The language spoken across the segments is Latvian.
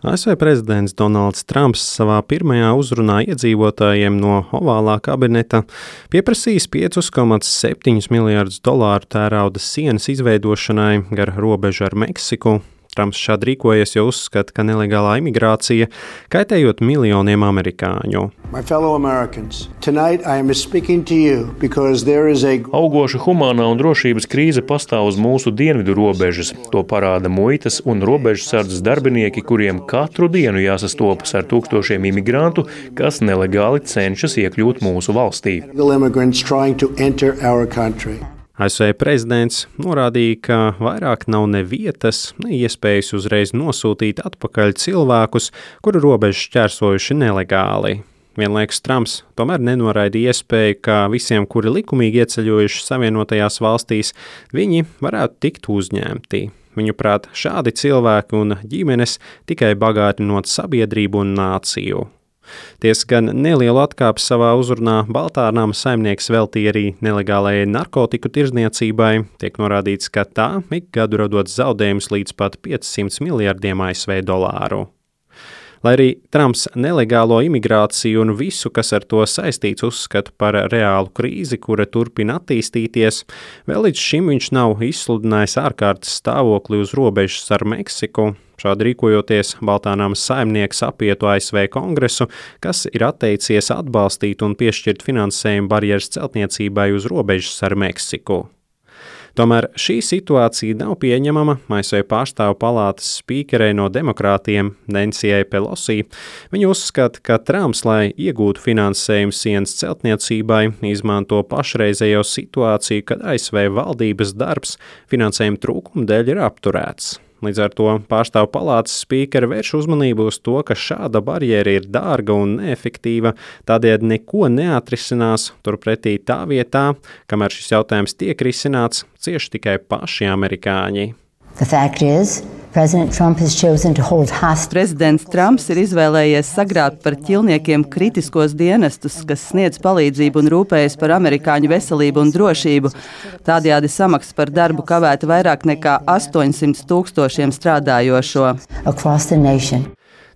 ASV prezidents Donalds Trumps savā pirmajā uzrunā iedzīvotājiem no ovālā kabineta pieprasījis $5,7 miljardus tērauda sienas izveidošanai gar robežu ar Meksiku. Trumps šādi rīkojies, jo uzskata, ka nelegālā imigrācija kaitējot miljoniem amerikāņu. Augoša humānā un drošības krīze pastāv uz mūsu dienvidu robežas. To parāda muitas un robežsardzes darbinieki, kuriem katru dienu jāsastopas ar tūkstošiem imigrantu, kas nelegāli cenšas iekļūt mūsu valstī. ASV prezidents norādīja, ka vairāk nav ne vietas, ne iespējas uzreiz nosūtīt atpakaļ cilvēkus, kuru robežu šķērsojuši nelegāli. Vienlaikus Trumps tomēr nenoraidīja iespēju, ka visiem, kuri likumīgi ieceļojuši Savienotajās valstīs, viņi varētu tikt uzņemti. Viņuprāt, šādi cilvēki un ģimenes tikai bagātinot sabiedrību un nāciju. Tiesa gan nelielu atkāpi savā uzrunā Baltā nama saimnieks veltīja arī nelegālajai narkotiku tirdzniecībai. Tiek norādīts, ka tā ik gadu radot zaudējumus līdz pat $500 miljardiem ASV dolāru. Lai arī Trumps nelegālo imigrāciju un visu, kas ar to saistīts, uzskata par reālu krīzi, kura turpina attīstīties, vēl līdz šim viņš nav izsludinājis ārkārtas stāvokli uz robežas ar Meksiku. Šādi rīkojoties, Baltā nama saimnieks apietu ASV Kongresu, kas ir atteicies atbalstīt un piešķirt finansējumu barjeras celtniecībai uz robežas ar Meksiku. Tomēr šī situācija nav pieņemama ASV pārstāvu palātas spīkerei no demokrātiem Nancyjai Pelosi. Viņa uzskata, ka Trumps, lai iegūtu finansējumu sienas celtniecībai, izmanto pašreizējo situāciju, kad ASV valdības darbs finansējuma trūkuma dēļ ir apturēts. Līdz ar to pārstāvu palātas spīkere vērš uzmanību uz to, ka šāda barjera ir dārga un neefektīva, tādēļ neko neatrisinās, turpretī tā vietā, kamēr šis jautājums tiek risināts, cieši tikai paši amerikāņi. Prezidents Trumps ir izvēlējies sagrābt par ķilniekiem kritiskos dienestus, kas sniedz palīdzību un rūpējas par amerikāņu veselību un drošību. Tādējādi samaksa par darbu kavēta vairāk nekā 800,000 strādājošo.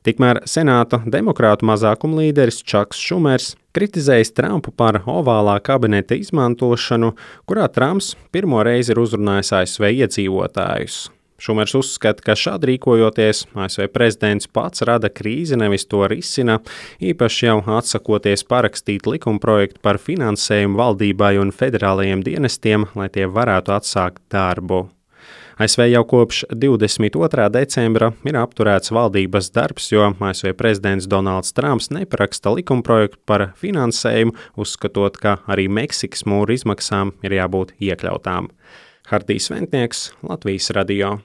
Tikmēr Senāta demokrātu mazākumlīderis Čaks Šumers kritizējis Trumpu par ovālā kabineta izmantošanu, kurā Trumps pirmo reizi ir uzrunājis ASV iedzīvotājus. Šumers uzskata, ka šādi rīkojoties, ASV prezidents pats rada krīzi, nevis to risina, īpaši jau atsakoties parakstīt likumprojektu par finansējumu valdībai un federālajiem dienestiem, lai tie varētu atsākt darbu. ASV jau kopš 22. decembra ir apturēts valdības darbs, jo ASV prezidents Donalds Trumps neparaksta likumprojektu par finansējumu, uzskatot, ka arī Meksikas mūra izmaksām ir jābūt iekļautām. Hardijs Ventnieks, Latvijas radio.